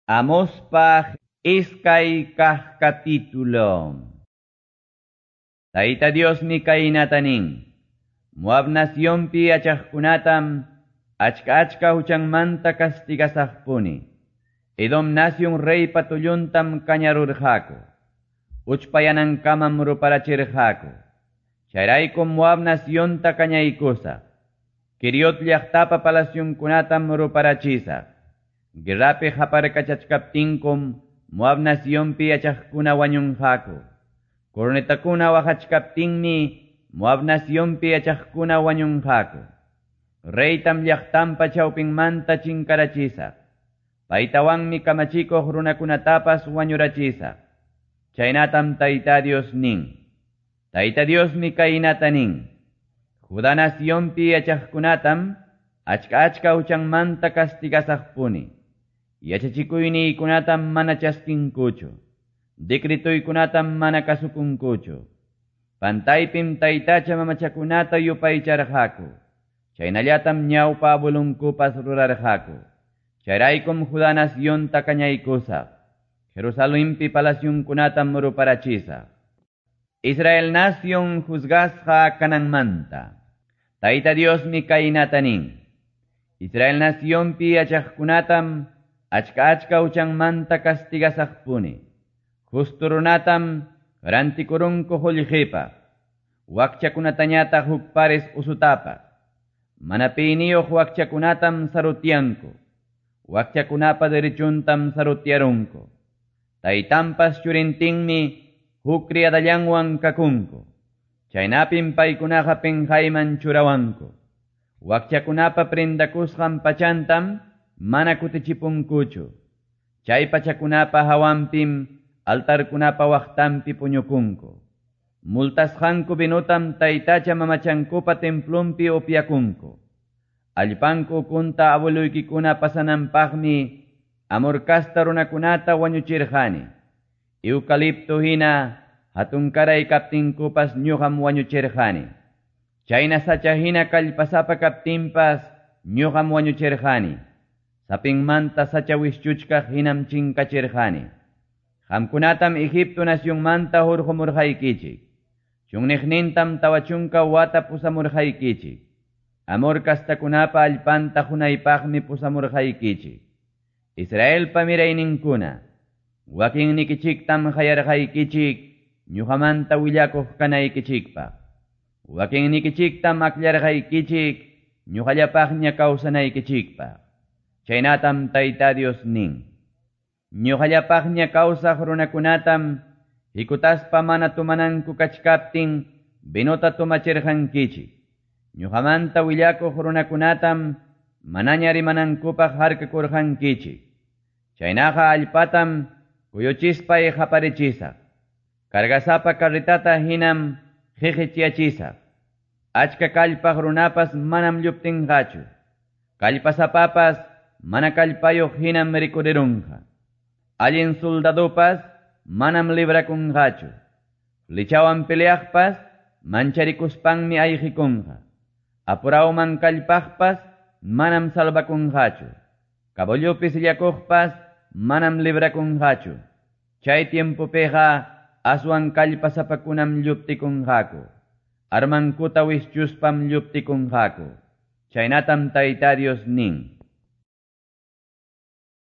Amospa iskay kaq capítulo. Tayta Diosmi kaynata nin. Moab nacionpi yachaqkunatam achka achka huchanmanta castigasaqpuni. Edom nacion reypa tulluntam kañarurqaku. Uchpayanankamam ruparachirqaku. Chayraykum Moab nacionta kañaykusaq. Keriot llaqtapa palacionkunatam ruparachisaq. Guerrapi qaparkachachkaptinkum Moab nacionpi yachaqkuna wañunqaku. Cornetakuna waqachkaptinmi Moab nacionpi yachaqkuna wañunqaku. Reytam llaqtanpa chawpinmanta chinkarachisaq. Paytawanmi kamachikuq runakunatapas wañurachisaq. Chaynatam Tayta Dios nin. Tayta Diosmi kaynata nin. Judá nacionpi yachaqkunatam achka achka huchanmanta castigasaqpuni. Yachachikuyniykunatam mana chaskinkuchu. Decretoykunatam mana kasukunkuchu. Pantaypim taytacha mamachakunata yupaycharqaku. Chaynallatam ñawpa abuelunkupas rurarqaku. Chayraykum Judá nacionta kañaykusaq. Jerusalempi palacionkunatam ruparachisaq. Israel nación juzgasqa kananmanta. Tayta Diosmi kaynata nin. Israel nacionpi yachaqkunatam achka achka huchanmanta castigasaqpuni. Justo runatam rantikurunku qullqipaq. Wakchakunatañataq huk pares usutapaq. Mana piyniyuq wakchakunatam sarutyanku. Wakchakunapa derechuntam sarutyarunku. Taytanpas churintinmi huk criadallanwan kakunku. Chaynapim paykunaqa pinqayman churawanku. Wakchakunapa prendakusqan pachantam mana kutichipunkuchu. Chay pachakunapa hawanpim altarkunapa waqtanpi puñukunku. Multasqanku vinutam taytacha mamachankupa templunpi upyakunku. Allpanku ukunta abueluykikuna pasananpaqmi Amor kasta runakunata wañuchirqani. Eucalipto hina hatunkaray kaptinkupas ñuqam wañuchirqani. Chayna sacha hina kallpasapa kaptinpas ñuqam wañuchirqani. Sapinmanta sacha wischuchkaq hinam chinkachirqani. Qamkunatam Egipto nacionmanta hurqumurqaykichik. Chunniqnintam 40 wata pusamurqaykichik. Amor kastakunapa allpanta hunaypaqmi pusamurqaykichik. Israelpa mirayninkuna, wakinnikichiktam qayarqaykichik ñuqamanta willakuq kanaykichikpaq. Wakinnikichiktam akllarqaykichik ñuqallapaqña kawsanaykichikpaq. Chaynatam Tayta Dios nin. Ñuqallapaqña kawsaq runakunatam hikutaspa mana tumananku kachkaptin vinota tumachirqankichik. Ñuqamanta willakuq runakunatam manaña rimanankupaq harkakurqankichik. Chaynaqa allpatam kuyuchispay qaparichisaq. Cargasapa carretata hinam qiqichiyachisaq. Achka kallpaq runapas manam lluptinqachu. Kallpasapapas mana kallpayuq hinam rikurirunqa. Allin soldadopas manam librakunqachu. Flechawan peleaqpas mancharikuspanmi ayqikunqa. Apurawman kallpaqpas manam salvakunqachu. Caballopi sillakuqpas manam librakunqachu. Chay tiempopiqa aswan kallpasapakunam lluptikunqaku. Armankuta wischuspam lluptikunqaku. Chaynatam Tayta Dios nin.